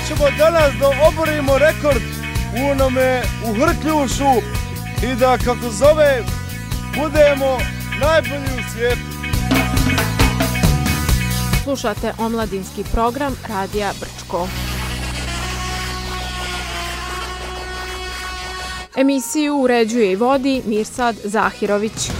ćemo danas da oborimo rekord u onome u Hrkljušu i da, kako zove, budemo najbolji u svijetu. Slušate omladinski program Radija Brčko. Emisiju uređuje i vodi Mirsad Zahirović.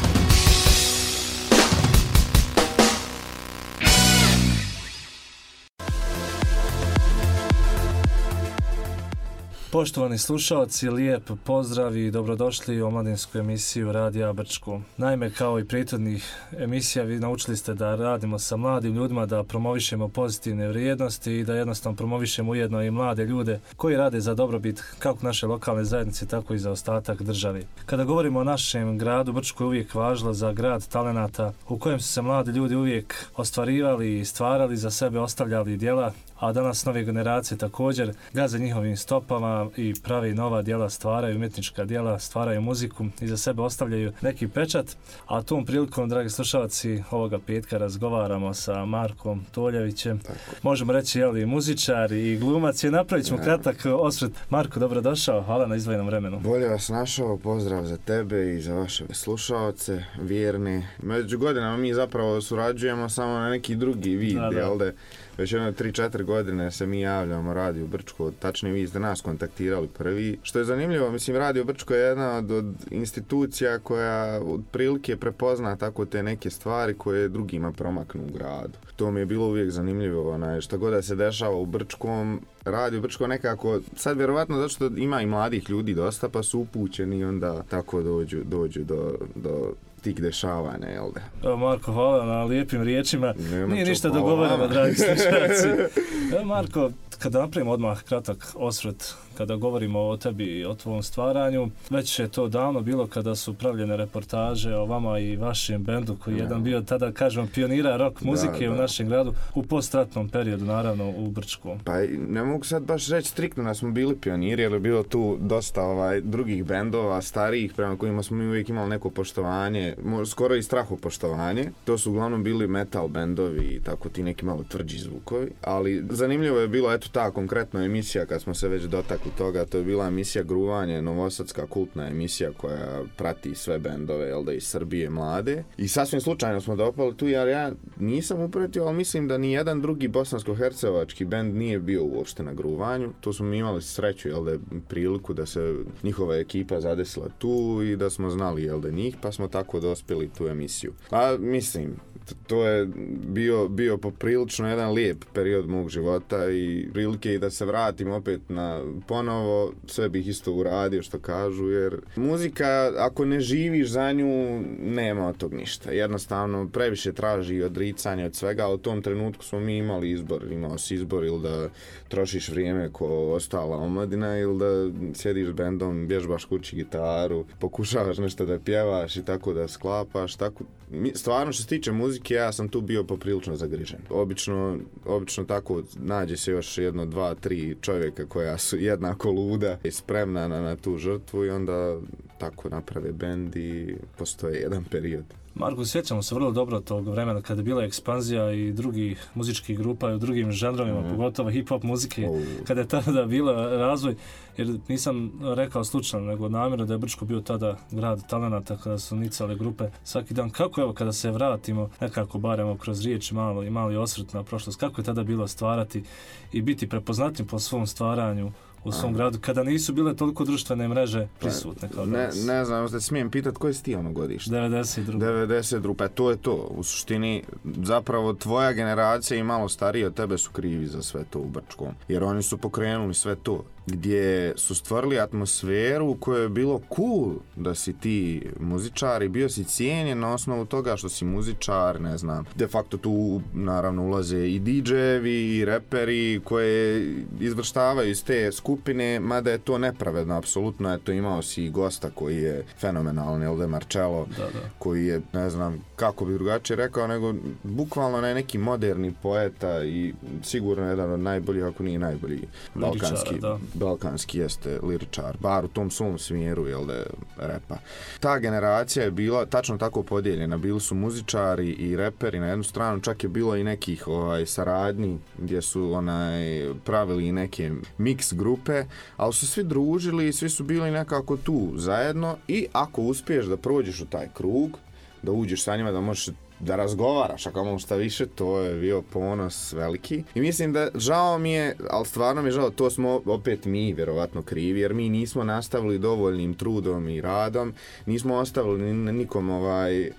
Poštovani slušalci, lijep pozdrav i dobrodošli u omladinsku emisiju Radija Brčko. Naime, kao i prethodnih emisija, vi naučili ste da radimo sa mladim ljudima, da promovišemo pozitivne vrijednosti i da jednostavno promovišemo ujedno i mlade ljude koji rade za dobrobit kako naše lokalne zajednice, tako i za ostatak države. Kada govorimo o našem gradu, Brčko je uvijek važilo za grad talenata u kojem su se mladi ljudi uvijek ostvarivali i stvarali za sebe, ostavljali djela, a danas nove generacije također gaze njihovim stopama i pravi nova djela, stvaraju umjetnička djela, stvaraju muziku i za sebe ostavljaju neki pečat. A tom prilikom, dragi slušalci, ovoga petka razgovaramo sa Markom Toljevićem. Možemo reći, jeli, muzičar i glumac je. Napravit ćemo kratak osvrt. Marko, dobrodošao, hvala na izdvojenom vremenu. Bolje vas našao, pozdrav za tebe i za vaše slušalce, vjerne. Među godinama mi zapravo surađujemo samo na neki drugi vid, jel da? Već 3-4 godine se mi javljamo Radio Brčko, tačnije vi ste nas kontaktirali prvi. Što je zanimljivo, mislim, Radio Brčko je jedna od institucija koja otprilike prepozna tako te neke stvari koje drugima promaknu u gradu. To mi je bilo uvijek zanimljivo, šta god da se dešava u Brčkom, Radio Brčko nekako, sad vjerovatno zato što ima i mladih ljudi dosta, pa su upućeni i onda tako dođu do tih dešavanja, jel da? Evo, Marko, hvala na lijepim riječima. Nije ništa dogovoreno, dragi slušalci. Evo, Marko, kada napravimo odmah kratak osvrt, kada govorimo o tebi i o tvom stvaranju, već je to davno bilo kada su pravljene reportaže o vama i vašem bendu, koji je jedan bio tada, kažemo, pionira rock muzike u našem gradu, u postratnom periodu, naravno, u Brčkom. Pa ne mogu sad baš reći striktno da smo bili pioniri, jer je bilo tu dosta drugih bendova, starijih, prema kojima smo mi uvijek imali neko poštovanje, skoro i strahopoštovanje. To su uglavnom bili metal bendovi i tako ti neki malo tvrđi zvukovi, ali zanimljivo je bilo, eto ta konkretna emisija, kad smo se već dotakli toga, to je bila emisija Gruvanje, novosadska kultna emisija koja prati sve bendove, jel da, iz Srbije mlade. I sasvim slučajno smo dopali tu, jer ja nisam upratio, ali mislim da ni jedan drugi bosansko-hercegovački bend nije bio uopšte na Gruvanju. To smo mi imali sreću, jel da, priliku da se njihova ekipa zadesila tu i da smo znali, jel da, njih, pa smo tako dospjeli tu emisiju. A mislim, to je bio poprilično jedan lijep period mog života i prilike i da se vratim opet na ponovo, sve bih isto uradio što kažu, jer muzika, ako ne živiš za nju, nema od tog ništa. Jednostavno, previše traži odricanje od svega, ali u tom trenutku smo mi imali izbor. Imao si izbor ili da trošiš vrijeme ko ostala omladina ili da sjediš s bendom, vježbaš kući gitaru, pokušavaš nešto da pjevaš i tako da sklapaš, tako. Stvarno, što se tiče muzike, ja sam tu bio poprilično zagrižen. Obično tako nađe se još 1, 2, 3 čovjeka koja su jednako luda i spremna na tu žrtvu i onda tako naprave bend i postoje jedan period. Marko, sjećamo se vrlo dobro tog vremena kada je bila ekspanzija i drugih muzičkih grupa i u drugim žanrovima, pogotovo hip-hop muzike, kada je tada bilo razvoj, jer nisam rekao slučajno, nego namjerno da je Brčko bio tada grad talenata kada su nicale grupe svaki dan. Kako evo kada se vratimo, nekako baremo kroz riječ mali osvrt na prošlost, kako je tada bilo stvarati i biti prepoznatljiv po svom stvaranju u svom gradu, kada nisu bile toliko društvene mreže prisutne kao danas? Ne znam, da smijem pitati koje si ti ono godište? 92. Pa to je to. U suštini, zapravo tvoja generacija i malo stariji od tebe su krivi za sve to u Brčkom. Jer oni su pokrenuli sve to. Gdje su stvorili atmosferu u kojoj je bilo cool da si ti muzičar i bio si cijenjen na osnovu toga što si muzičar, ne znam. De facto tu naravno ulaze i DJ-evi i reperi koje izvrštavaju iz te skupine, mada je to nepravedno, apsolutno. Eto, imao si i gosta koji je fenomenalni, Elde Marcello, koji je, ne znam kako bi drugačije rekao, nego bukvalno neki moderni poeta i sigurno jedan od najboljih, ako nije najbolji balkanski balkanski jeste liričar, bar u tom svom smjeru, jel da, repa. Ta generacija je bila tačno tako podijeljena, bili su muzičari i reperi na jednu stranu, čak je bilo i nekih saradnji gdje su pravili i neke mix grupe, ali su svi družili i svi su bili nekako tu zajedno i ako uspiješ da prođeš u taj krug, da uđeš sa njima, da možeš da razgovaraš, ako imamo šta više, to je bio ponos veliki. I mislim da žao mi je, ali stvarno mi je žao, to smo opet mi vjerovatno krivi, jer mi nismo nastavili dovoljnim trudom i radom, nismo ostavili nikom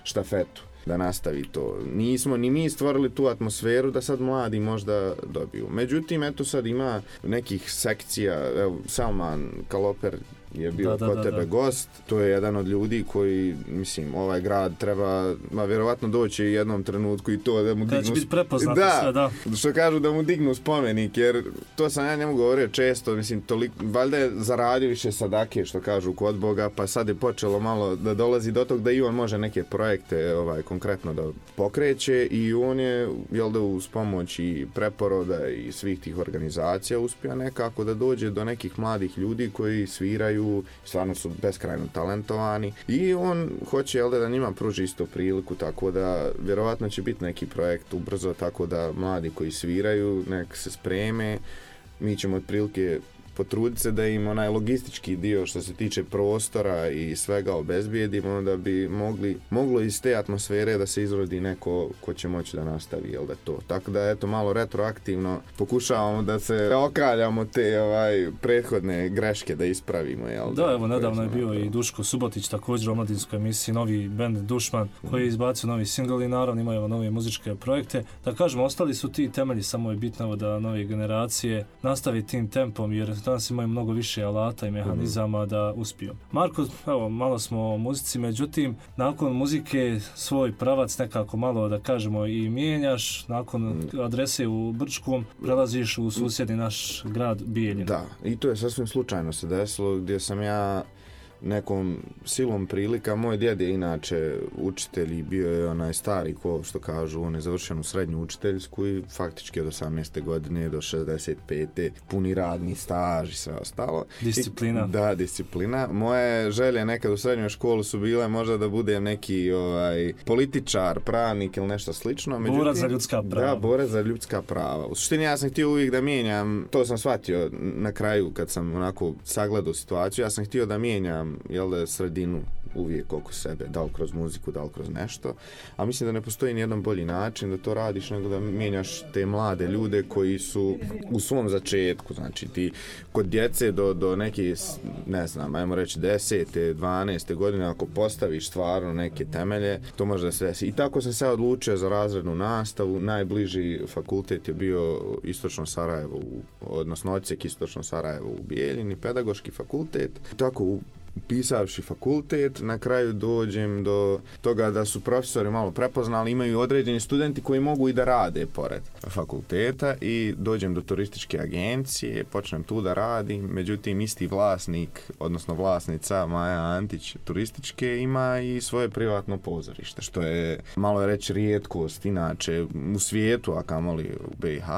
štafetu da nastavi to. Nismo ni mi stvorili tu atmosferu da sad mladi možda dobiju. Međutim, eto sad ima nekih sekcija, evo, Salman Kaloper je bio kod tebe gost, to je jedan od ljudi koji, mislim, ovaj grad treba vjerovatno doći u jednom trenutku i to da mu dignu... Da će biti prepoznato sve, da. Što kažu da mu dignu spomenik, jer to sam ja njemu govorio često, mislim, valjda je zaradio više sadake, što kažu, kod Boga, pa sad je počelo malo da dolazi do tog da i on može neke projekte konkretno da pokreće i on je, jel da, uz pomoć i preporoda i svih tih organizacija uspio nekako da dođe do nekih mladih ljudi koji sviraju, stvarno su beskrajno talentovani i on hoće, jel da njima pruži isto priliku, tako da vjerovatno će biti neki projekt ubrzo, tako da mladi koji sviraju nek se spreme, mi ćemo otprilike potruditi se da im onaj logistički dio što se tiče prostora i svega obezbijedimo, da bi moglo iz te atmosfere da se izrodi neko ko će moći da nastavi, jel da to. Tako da eto malo retroaktivno pokušavamo da se okaljamo te prethodne greške da ispravimo, jel da. Da, evo nedavno je bio i Duško Subotić također u omladinskoj emisiji, novi bend Dušman koji je izbacio novi singl i naravno imaju nove muzičke projekte. Da kažemo, ostali su ti temelji, samo je bitno da nove generacije nastavi tim tempom, jer danas imaju mnogo više alata i mehanizama da uspiju. Marko, evo, malo smo o muzici, međutim, nakon muzike svoj pravac nekako malo, da kažemo, i mijenjaš, nakon adrese u Brčkom prelaziš u susjedni naš grad Bijeljinu. Da, i to je sasvim slučajno se desilo, gdje sam ja nekom silom prilika, moj djed je inače učitelj i bio je onaj stari ko što kažu, on je završen u srednju učiteljsku i faktički od 18. godine do 65. puni radni staž i sve ostalo. Disciplina. Da, disciplina. Moje želje nekad u srednjoj školi su bile možda da budem neki političar, pravnik ili nešto slično. Međutim, borac za ljudska prava. Da, borac za ljudska prava. U suštini ja sam htio uvijek da mijenjam, to sam shvatio na kraju kad sam onako sagledao situaciju, ja sam htio da mijenjam, jel da, sredinu uvijek oko sebe, da li kroz muziku, da li kroz nešto, a mislim da ne postoji nijedan bolji način da to radiš nego da mijenjaš te mlade ljude koji su u svom začetku, znači ti kod djece do neke, ne znam, ajmo reći 10. 12. godine, ako postaviš stvarno neke temelje, to može da se desi. I tako sam se odlučio za razrednu nastavu, najbliži fakultet je bio Istočno Sarajevo, odnosno odsjek Istočno Sarajevo u Bijeljini, pedagoški fakultet, tako upisavši fakultet, na kraju dođem do toga da su profesori malo prepoznali, imaju određeni studenti koji mogu i da rade pored fakulteta i dođem do turističke agencije, počnem tu da radim, međutim isti vlasnik, odnosno vlasnica Maja Antić turističke ima i svoje privatno pozorište, što je malo reći rijetkost inače u svijetu, a kamoli u BiH.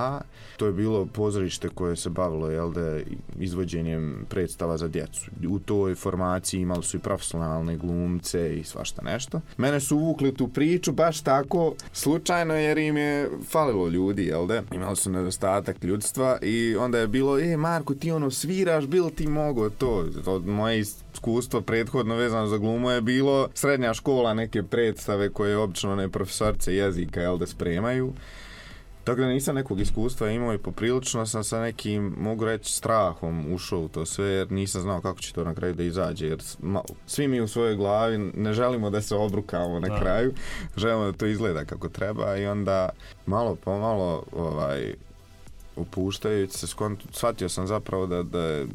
To je bilo pozorište koje se bavilo, jel da, izvođenjem predstava za djecu. U toj formaciji imali su i profesionalne glumce i svašta nešto. Mene su uvukli tu priču baš tako slučajno jer im je falilo ljudi, jel da? Imali su nedostatak ljudstva i onda je bilo, Marko, ti sviraš, bil ti mogo to? Od moje iskustvo prethodno vezano za glumu je bilo srednja škola, neke predstave koje obično profesorce jezika, jel da, spremaju. Tako da nisam nekog iskustva imao i poprilično sam sa nekim, mogu reći, strahom ušao u to sve jer nisam znao kako će to na kraju da izađe, jer svi mi u svojoj glavi ne želimo da se obrukamo na kraju, želimo da to izgleda kako treba i onda malo po malo upuštajući se, shvatio sam zapravo da je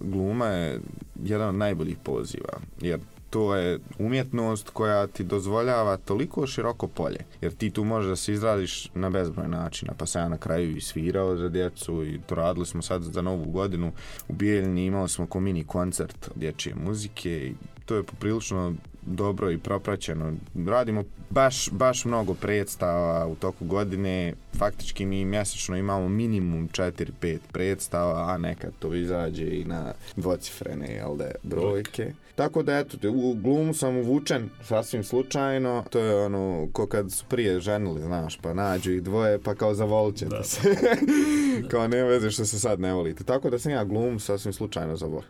gluma je jedan od najboljih poziva, jer to je umjetnost koja ti dozvoljava toliko široko polje, jer ti tu možeš da se izraziš na bezbroj načina, pa sam ja na kraju i svirao za djecu i to radili smo sad za Novu godinu u Bijeljini, imali smo ko mini koncert dječje muzike i to je poprilično dobro i propraćeno. Radimo baš mnogo predstava u toku godine. Faktički mi mjesečno imamo minimum 4-5 predstava, a nekad to izađe i na dvocifrene brojke. Tako da eto, u glumu sam uvučen sasvim slučajno. To je ono ko kad su prije ženili, znaš, pa nađu ih dvoje pa kao zavolit ćete se. Kao ne veze što se sad ne volite. Tako da sam ja glumu sasvim slučajno zavolio.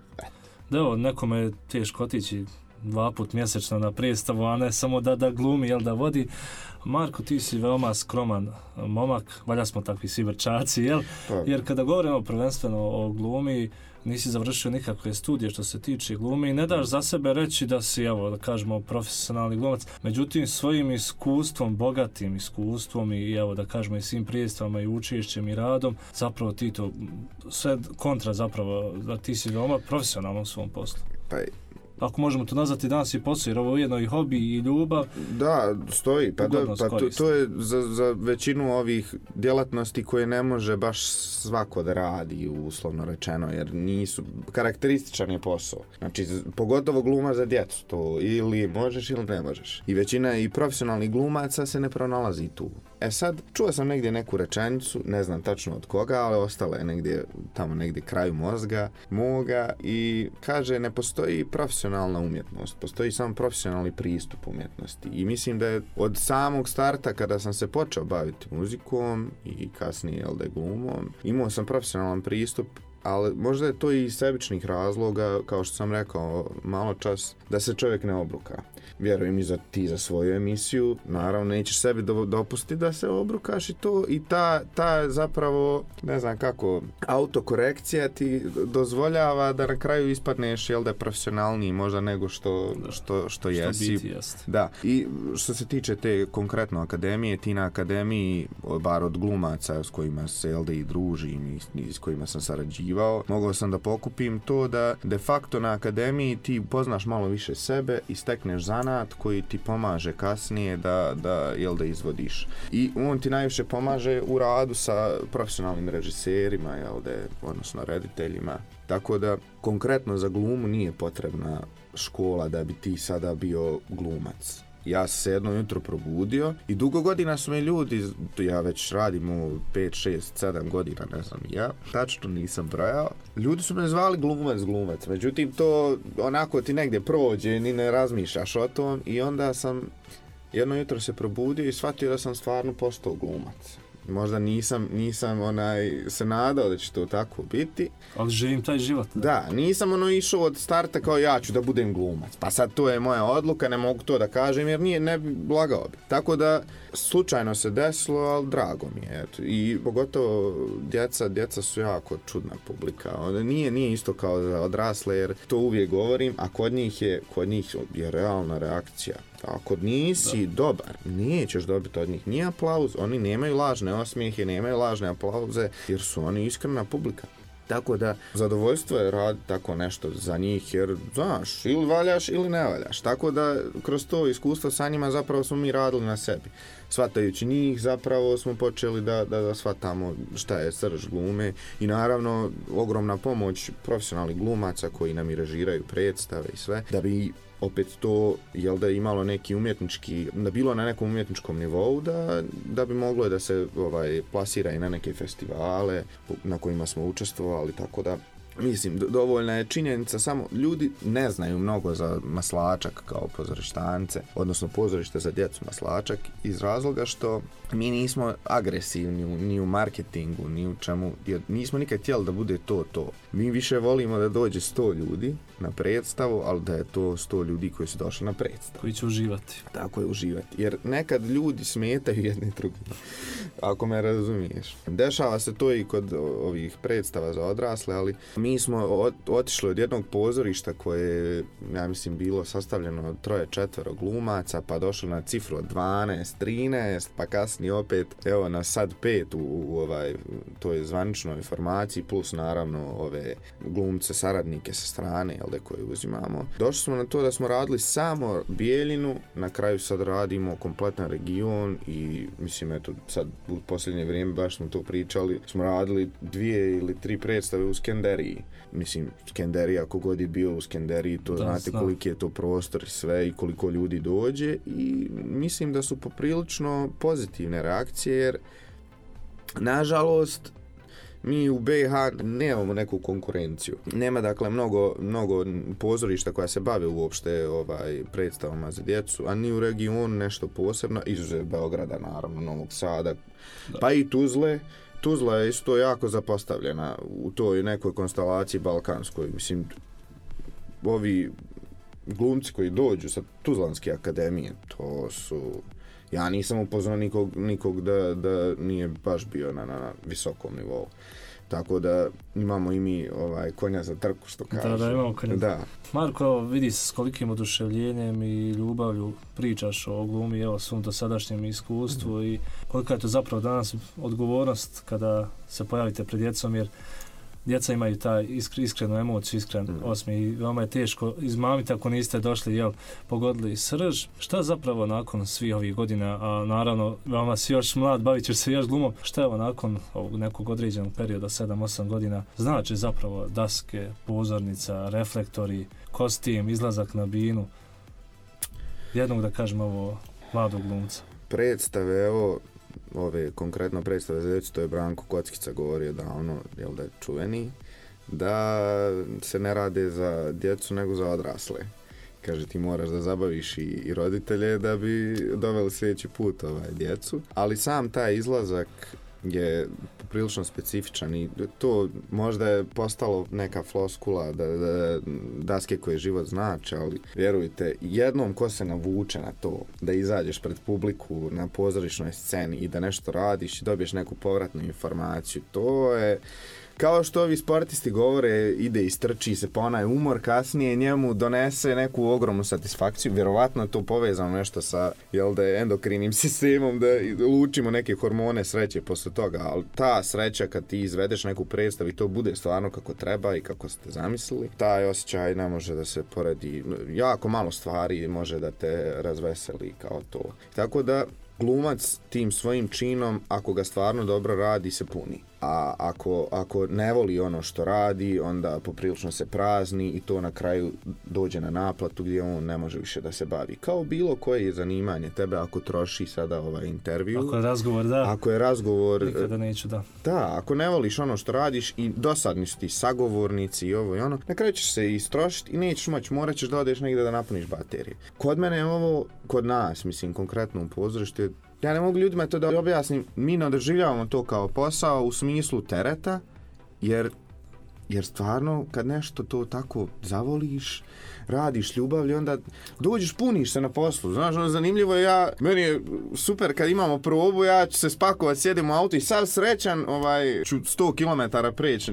Da, evo, nekome je teško otići 2 puta mjesečno na predstavu, a ne samo da glumi, da vodi. Marko, ti si veoma skroman momak, valja smo takvi svi vrčaci, jel? Jer kada govorimo prvenstveno o glumi, nisi završio nikakve studije što se tiče glume i ne daš za sebe reći da si, evo, da kažemo, profesionalni glumac. Međutim, svojim iskustvom, bogatim iskustvom i, evo, da kažemo, i svim predstavama i učešćem i radom, zapravo ti to, sve kontra zapravo, da ti si veoma profesionalno u svom poslu. Ako možemo to nazvati danas i posao, jer ovo je ujedno i hobi i ljubav. Da, stoji. To je za većinu ovih djelatnosti koje ne može baš svako da radi, uslovno rečeno, jer nisu, karakterističan je posao. Znači, pogotovo gluma za djecu, to ili možeš ili ne možeš. I većina i profesionalnih glumaca se ne pronalazi tu. Sad, čuo sam negdje neku rečenicu, ne znam tačno od koga, ali ostala je negdje, tamo negdje kraju mozga moga i kaže, ne postoji profesionalna umjetnost, postoji samo profesionalni pristup umjetnosti. I mislim da je od samog starta, kada sam se počeo baviti muzikom i kasnije glumom, imao sam profesionalan pristup, ali možda je to i iz sebičnih razloga, kao što sam rekao malo čas, da se čovjek ne obruka. Vjerujem i ti za svoju emisiju, naravno nećeš sebi dopustiti da se obrukaš i to, i ta zapravo, ne znam kako, autokorekcija ti dozvoljava da na kraju ispadneš, da je profesionalniji možda nego što jesi. Da, i što se tiče te konkretno akademije, ti na akademiji, bar od glumaca s kojima se i družim i s kojima sam sarađivao, mogao sam da pokupim to da de facto na akademiji ti poznaš malo više sebe i stekneš zanat koji ti pomaže kasnije da izvodiš. I on ti najviše pomaže u radu sa profesionalnim režiserima, odnosno rediteljima. Tako da konkretno za glumu nije potrebna škola da bi ti sada bio glumac. Ja sam se jedno jutro probudio i dugo godina su me ljudi, ja već radim u 5, 6, 7 godina, ne znam ja, tačno nisam brojao, ljudi su me zvali glumac, međutim to onako ti negdje prođe, ni ne razmišljaš o tom i onda sam jedno jutro se probudio i shvatio da sam stvarno postao glumac. Možda nisam se nadao da će to tako biti. Ali živim taj život. Da, nisam išao od starta kao ja ću da budem glumac. Pa sad to je moja odluka, ne mogu to da kažem jer ne bi lagao bi. Tako da slučajno se desilo, ali drago mi je. I pogotovo djeca su jako čudna publika. Nije isto kao za odrasle jer to uvijek govorim, a kod njih je realna reakcija. Ako nisi dobar, nećeš dobiti od njih ni aplauz, oni nemaju lažne osmijehe, nemaju lažne aplauze, jer su oni iskrena publika. Tako da, zadovoljstvo je raditi tako nešto za njih, jer, znaš, ili valjaš ili ne valjaš. Tako da, kroz to iskustvo sa njima zapravo smo mi radili na sebi. Shvatajući njih, zapravo smo počeli da shvatamo šta je srž glume i naravno, ogromna pomoć profesionalnih glumaca koji nam i režiraju predstave i sve, da bi opet to, da imalo neki umjetnički, da bilo na nekom umjetničkom nivou, da bi moglo da se plasira i na neke festivale na kojima smo učestvovali, tako da mislim, dovoljna je činjenica, samo ljudi ne znaju mnogo za Maslačak kao pozorištance, odnosno pozorište za djecu Maslačak, iz razloga što mi nismo agresivni ni u marketingu, ni u čemu, jer nismo nikad htjeli da bude to. Mi više volimo da dođe 100 ljudi na predstavu, ali da je to 100 ljudi koji su došli na predstavu. Koji će uživati. Tako je, uživati. Jer nekad ljudi smetaju jedni drugim, ako me razumiješ. Dešava se to i kod ovih predstava za odrasle, ali mi smo otišli od jednog pozorišta koje je, ja mislim, bilo sastavljeno od 3-4 glumaca, pa došli na cifru od 12, 13, pa kasnije opet, evo na sad 5 u toj zvaničnoj informaciji, plus naravno ove glumce, saradnike sa strane, koje uzimamo. Došli smo na to da smo radili samo Bijeljinu, na kraju sad radimo kompletan region i mislim, eto, sad u posljednje vrijeme baš smo to pričali, smo radili 2 ili 3 predstave u Skenderiji. mislim, Skenderija, kogod je bio u Skenderiji, to znate koliki je to prostor i sve i koliko ljudi dođe i mislim da su poprilično pozitivne reakcije jer nažalost mi u BiH nemamo neku konkurenciju. Nema dakle mnogo pozorišta koja se bave uopšte predstavama za djecu, a ni u regionu nešto posebno, izuzev Beograda naravno, Novog Sada, pa i Tuzle. Tuzla je isto jako zapostavljena u toj nekoj konstelaciji balkanskoj. Mislim, ovi glumci koji dođu sa Tuzlanske akademije, to su... Ja nisam upoznao nikog da nije baš bio na visokom nivou. Tako da imamo i mi konja za trku, što kažu. Da, imamo konja. Da. Marko, vidi se s kolikim oduševljenjem i ljubavlju pričaš o glumi, evo, svom dosadašnjem iskustvu i kolika je to zapravo danas odgovornost kada se pojavite pred djecom, jer djeca imaju taj iskrenu emociju, iskren osmijeh i veoma je teško izmamiti ako niste došli, pogodili srž. Šta zapravo nakon svih ovih godina, a naravno veoma si još mlad, bavit ćeš se još glumom, šta je nakon ovog nekog određenog perioda, 7-8 godina, znači zapravo daske, pozornica, reflektori, kostim, izlazak na binu, jednog da kažem ovo mladog glumca? Predstave, evo, ove konkretno predstave za djecu, to je Branko Kockica govorio davno, da je čuveni, da se ne rade za djecu nego za odrasle. Kaže, ti moraš da zabaviš i roditelje da bi doveli sljedeći put djecu, ali sam taj izlazak je prilično specifičan i to možda je postalo neka floskula da daske koje život znači, ali vjerujte, jednom ko se navuče na to da izađeš pred publiku na pozorišnoj sceni i da nešto radiš i dobiješ neku povratnu informaciju, to je kao što ovi sportisti govore, ide i strči se pa onaj umor kasnije njemu donese neku ogromnu satisfakciju. Vjerovatno je to povezano nešto sa endokrinim sistemom, da lučimo neke hormone sreće posle toga, ali ta sreća kad ti izvedeš neku predstavu i to bude stvarno kako treba i kako ste zamislili, taj osjećaj ne može da se poredi. Jako malo stvari može da te razveseli kao to. Tako da glumac tim svojim činom, ako ga stvarno dobro radi, se puni. A ako ne voli ono što radi, onda poprilično se prazni i to na kraju dođe na naplatu gdje on ne može više da se bavi. Kao bilo koje zanimanje tebe, ako troši sada intervju. Ako je razgovor, da. Ako je razgovor... Nikada neću, da. Da, ako ne voliš ono što radiš i dosadni su ti sagovornici i ovo i ono, na kraju ćeš se istrošiti i nećeš moći, morat ćeš da odeš negdje da napuniš baterije. Kod mene je ovo, kod nas, mislim, konkretno u pozorištu, ja ne mogu ljudima to da objasnim, mi ne doživljavamo to kao posao u smislu tereta, jer stvarno kad nešto to tako zavoliš, radiš ljubavlju, onda dođeš, puniš se na poslu. Znaš, zanimljivo je, meni je super kad imamo probu, ja ću se spakovati, sjedim u auto i sav srećan, ću 100 km preći,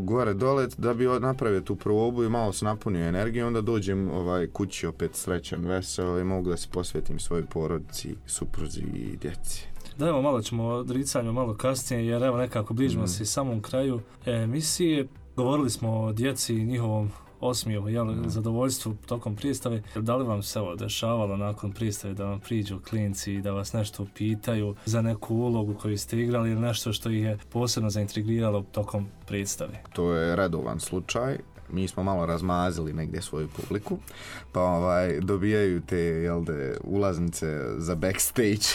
gore dole, da bi napravio tu probu i malo se napunio energiju, onda dođem kući opet srećan, veseo i mogu da se posvetim svojoj porodici, supruzi i djeci. Da, evo, malo ćemo o odricanju malo kasnije, jer evo nekako bližimo se i samom kraju emisije. Govorili smo o djeci i njihovom osmijehu, zadovoljstvu tokom predstave. Da li vam se dešavalo nakon predstave da vam priđu klinci i da vas nešto pitaju za neku ulogu koju ste igrali ili nešto što ih je posebno zaintrigiralo tokom predstave? To je redovan slučaj. Mi smo malo razmazili negdje svoju publiku, pa dobijaju te ulaznice za backstage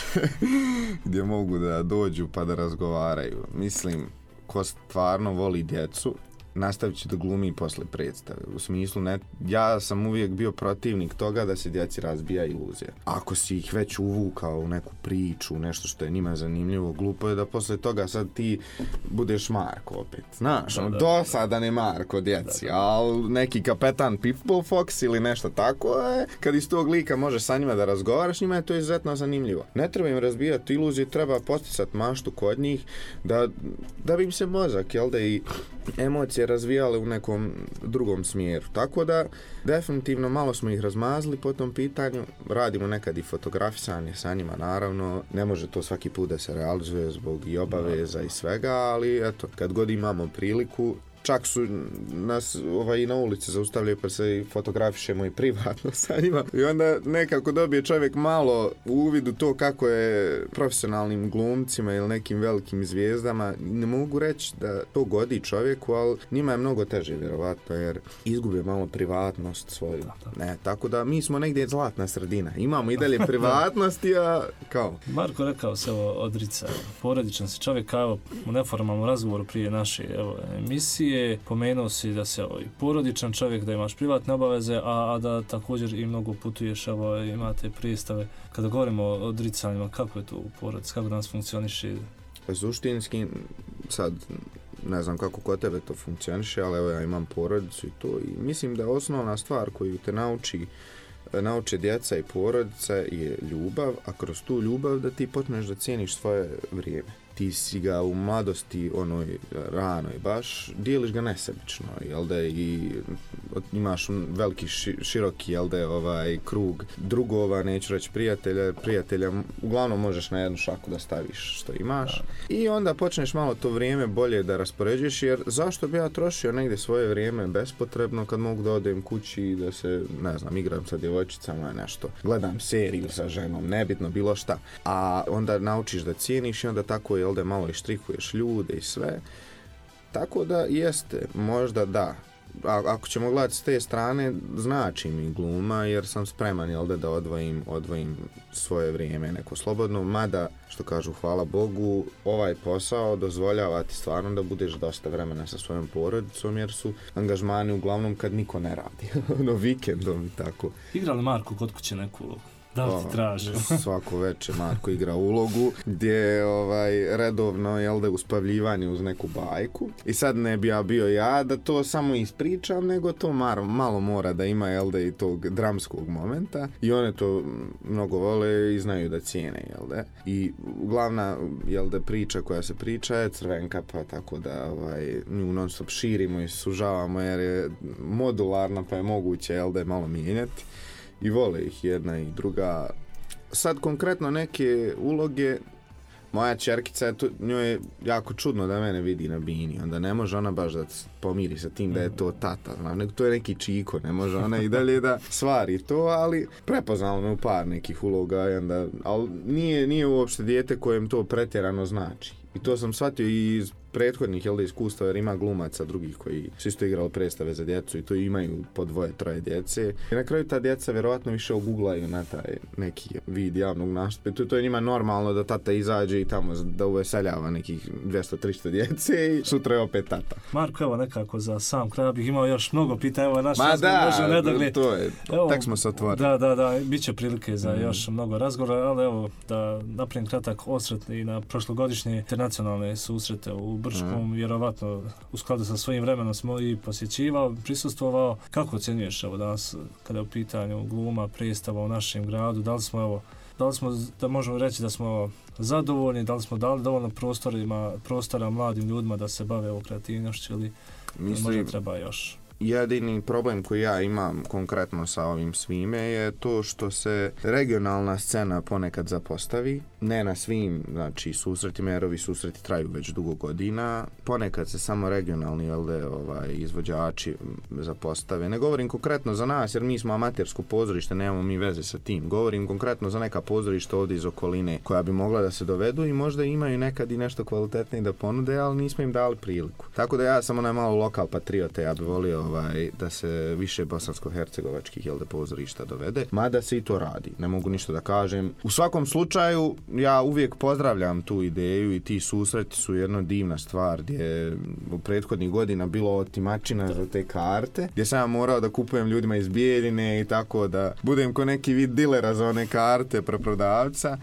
gdje mogu da dođu pa da razgovaraju. Mislim, ko stvarno voli djecu, nastavit će da glumi posle predstave. U smislu, ja sam uvijek bio protivnik toga da se djeci razbija iluzija. Ako si ih već uvukao u neku priču, nešto što je njima zanimljivo, glupo je da posle toga sad ti budeš Marko opet. Znaš, dosadan je Marko djeci, ali neki kapetan Pitbull Fox ili nešto tako, kad iz tog lika možeš sa njima da razgovaraš, njima je to izuzetno zanimljivo. Ne treba im razbijati iluzije, treba posticati maštu kod njih, da bi im se mozak, i emocije razvijale u nekom drugom smjeru. Tako da, definitivno malo smo ih razmazili po tom pitanju. Radimo nekad i fotografisanje sa njima, naravno. Ne može to svaki put da se realizuje zbog i obaveza i svega, ali eto, kad god imamo priliku, čak su nas i na ulici zaustavljaju pa se i fotografišemo i privatno sa njima. I onda nekako dobije čovjek malo uvid u to kako je profesionalnim glumcima ili nekim velikim zvijezdama. Ne mogu reći da to godi čovjeku, ali njima je mnogo teže vjerovatno jer izgube malo privatnost svoju. Ne, tako da mi smo negdje zlatna sredina. Imamo i dalje privatnosti, a kao... Marko rekao se odrica. Porodičan si čovjek, evo, u neformalnom razgovoru prije naše emisije pomenuo si da se i porodičan čovjek, da imaš privatne obaveze, a da također i mnogo putuješ, imate predstave. Kada govorimo o odricanjima, kako je to u porodici, kako danas funkcioniše? Suštinski, sad ne znam kako kod tebe to funkcioniše, ali evo ja imam porodicu i to i mislim da je osnovna stvar koju te nauče djeca i porodica je ljubav, a kroz tu ljubav da ti počneš da cijeniš svoje vrijeme. Ti si ga u mladosti onoj ranoj baš dijeliš ga nesebično, jel da, i imaš veliki široki, jel da, krug drugova, neću reći prijatelja uglavnom možeš na jednu šaku da staviš što imaš i onda počneš malo to vrijeme bolje da raspoređuješ, jer zašto bi ja trošio negdje svoje vrijeme bespotrebno kad mogu da odem kući i da se, ne znam, igram sa djevojčicama nešto, gledam seriju sa ženom, nebitno bilo šta, a onda naučiš da cijeniš i onda tako jel da malo i štrikuješ ljude i sve. Tako da jeste, možda da. Ako ćemo gledati s te strane, znači mi gluma jer sam spreman jel da odvojim svoje vrijeme neko slobodno, mada, što kažu, hvala Bogu, ovaj posao dozvoljava ti stvarno da budeš dosta vremena sa svojom porodicom jer su angažmani uglavnom kad niko ne radi, vikendom i tako. Igra li Marko kod kuće neku ulogu? Da li ti traži? Svako večer Marko igra ulogu gdje je redovno jel da uspavljivanje uz neku bajku i sad ne bi ja bio ja da to samo ispričam, nego to malo mora da ima jel da i tog dramskog momenta i one to mnogo vole i znaju da cijene jel da. I glavna jel da priča koja se priča je Crvenka, pa tako da nju non stop širimo i sužavamo jer je modularna pa je moguće jel da je malo mijenjati. I vole ih jedna i druga. Sad konkretno neke uloge, moja ćerkica, njoj je jako čudno da mene vidi na bini, onda ne može ona baš da pomiri sa tim da je to tata, nego to je neki čiko, ne može ona i dalje da svari to, ali prepoznalo me u par nekih uloga, ali nije uopšte dijete kojem to pretjerano znači. I to sam shvatio i iz prethodnih iskustva, jer ima glumaca drugih koji su isto igrali predstave za djecu i to imaju po 2-3 djece. I na kraju ta djeca vjerovatno više oguglaju na taj neki vid javnog nastupa. To je njima normalno da tata izađe i tamo da uveseljava nekih 200-300 djece i sutra je opet tata. Marko, evo nekako za sam kraj bih imao još mnogo pitanja. Evo naš to je, tak smo se otvorili. Da, bit će prilike za još mnogo razgovora, ali evo da napravim kratak osvrt i na prošlogodišnje internacionalne susrete u Brčkom, vjerovatno u skladu sa svojim vremenom smo i posjećivao, prisustvovao. Kako ocjenjuješ evo danas kada je u pitanju gluma, predstava u našem gradu? Da li smo, da možemo reći da smo zadovoljni, da li smo dali dovoljno prostora mladim ljudima da se bave o kreativnošću ili možda treba još? Jedini problem koji ja imam konkretno sa ovim svime je to što se regionalna scena ponekad zapostavi, ne na svim, znači susretima, jer ovi susreti traju već dugo godina, ponekad se samo regionalni izvođači zapostave. Ne govorim konkretno za nas jer mi smo amatersko pozorište, nemamo mi veze sa tim. Govorim konkretno za neka pozorišta ovdje iz okoline koja bi mogla da se dovedu i možda imaju nekad i nešto kvalitetnije da ponude, ali nismo im dali priliku. Tako da ja sam onaj malo lokal patriote, ja bih volio da se više bosansko-hercegovačkih pozorišta dovede, mada se i to radi, ne mogu ništa da kažem. U svakom slučaju ja uvijek pozdravljam tu ideju i ti susreti su jedna divna stvar gdje je u prethodnih godina bilo otimačina za te karte, gdje sam ja morao da kupujem ljudima iz Bijeljine i tako da budem ko neki vid dilera za one karte, preprodavca.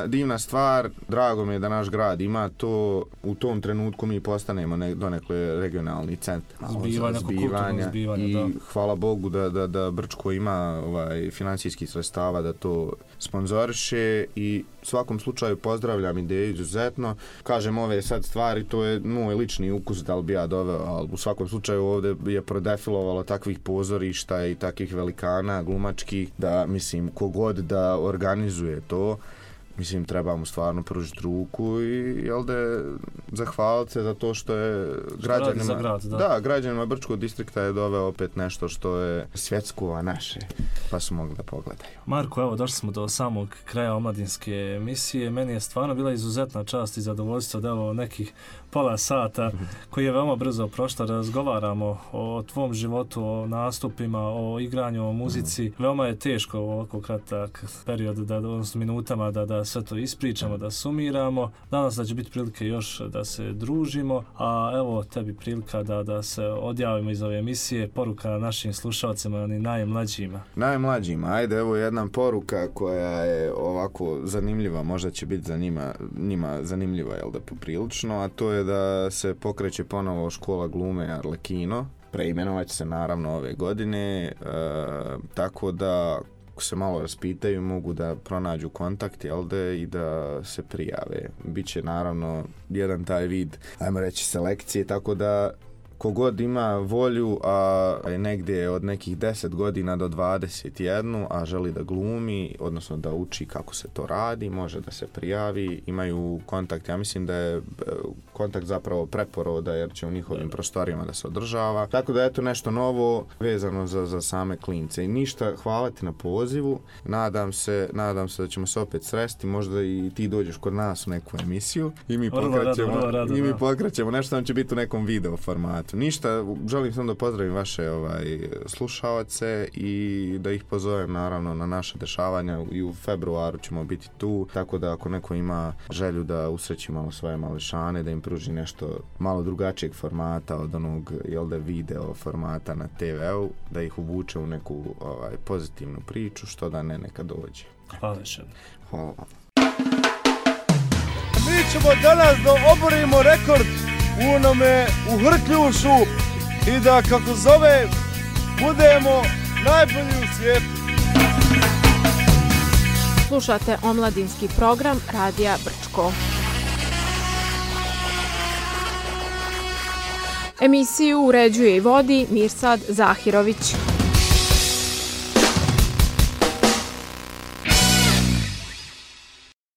Divna stvar, drago mi je da naš grad ima to, u tom trenutku mi postanemo donekle regionalni centar zbivanja i hvala Bogu da Brčko ima financijskih sredstava da to sponzoriše i u svakom slučaju pozdravljam ideju izuzetno. Kažem, ove sad stvari, to je moj lični ukus da li bi ja doveo, ali u svakom slučaju ovdje je prodefilovalo takvih pozorišta i takvih velikana glumačkih da, mislim, kogod da organizuje to, mislim, treba mu stvarno pružiti ruku i, jel da, zahvaliti se za to što je građanima... građanima Brčkog distrikta je doveo opet nešto što je svjetsko, a naše, pa su mogli da pogledaju. Marko, evo, došli smo do samog kraja omladinske emisije. Meni je stvarno bila izuzetna čast i zadovoljstvo da evo nekih pola sata, koji je veoma brzo prošlo, razgovaramo o tvom životu, o nastupima, o igranju, o muzici. Veoma je teško u ovako kratak period, odnosno minutama, da sve to ispričamo, da sumiramo. Danas da će biti prilike još da se družimo, a evo tebi prilika da se odjavimo iz ove emisije. Poruka našim slušalcima, oni najmlađima. Najmlađima, ajde, evo jedna poruka koja je ovako zanimljiva, možda će biti za njima zanimljiva, jel da, poprilično, a to je da se pokreće ponovo škola glume Arlekino. Preimenovat će se naravno ove godine, tako da ako se malo raspitaju mogu da pronađu kontakt, jel da, i da se prijave. Biće naravno jedan taj vid, ajmo reći, selekcije, tako da kogod ima volju, a je negdje od nekih 10 godina do 21, a želi da glumi, odnosno da uči kako se to radi, može da se prijavi, imaju kontakt. Ja mislim da je kontakt zapravo preporoda, jer će u njihovim prostorijama da se održava. Tako da eto nešto novo vezano za same klince. I ništa, hvala ti na pozivu. Nadam se da ćemo se opet sresti, možda i ti dođeš kod nas u neku emisiju i mi pokrećemo nešto, nam će biti u nekom video formatu. Ništa, želim samo da pozdravim vaše slušaoce i da ih pozovem naravno na naše dešavanja. I u februaru ćemo biti tu, tako da ako neko ima želju da usreći malo svoje mališane, da im pruži nešto malo drugačijeg formata od onog, jel da, video formata na TV-u, da ih uvuče u neku pozitivnu priču, što da ne, neka dođe. Hvala še. Hvala vam. Mi ćemo danas da oborimo rekord u Hrkljušu i da, kako zove, budemo najbolji u svijetu. Slušate omladinski program Radija Brčko. Emisiju uređuje i vodi Mirsad Zahirović.